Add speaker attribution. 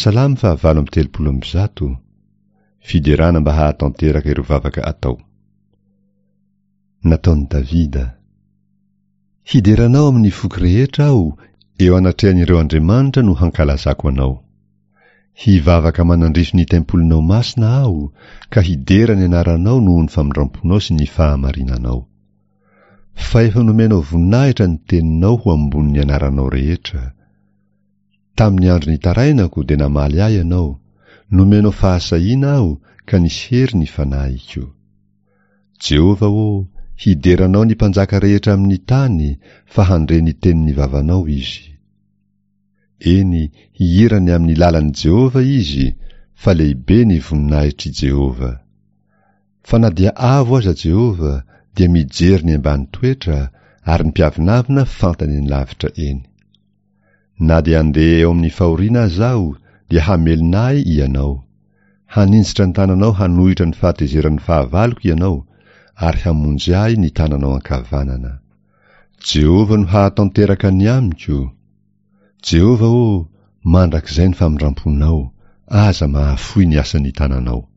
Speaker 1: Salamo faha 138, Fiderana mba hahatanteraka ireo vavaka atao. Nataon'i Davida. Hidera Anao amin'ny foko rehetra aho, eo anatrehan'ireo andriamanitra no hankalazako Anao. Hivavaka manandrify ny tempolinao masina aho, ka hidera ny anaranao noho ny famindramponao sy ny fahamarinanao. Fa efa nomenao voninahitra ny teninao ho ambonin'ny anaranao rehetra. Tamin'ny andro nitarainako dia namaly ahy Ianao, nomenao fahasahiana aho ka nisy hery ny fanahiko. Jehovah ô, hidera Anao ny mpanjaka rehetra amin'ny tany, fa handre ny tenin'ny vavanao izy. Eny, hihira ny amin'ny lalan'i Jehovah izy, fa lehibe ny voninahitr'i Jehovah. Fa na dia avo aza Jehovah, dia mijery ny ambany toetra, ary ny mpiavonavona fantany eny lavitra eny. Na dia handeha eo amin'ny fahoriana aza aho, dia hamelona ahy Ianao. Haninjitra ny tananao hanohitra ny fahatezeran'ny fahavaloko Ianao, ary hamonjy ahy ny tananao ankavanana. Jehovah no hahatanteraka ny amiko. Jehovah ô, mandrakizay ny famindramponao, aza mahafoy ny asan'ny tananao.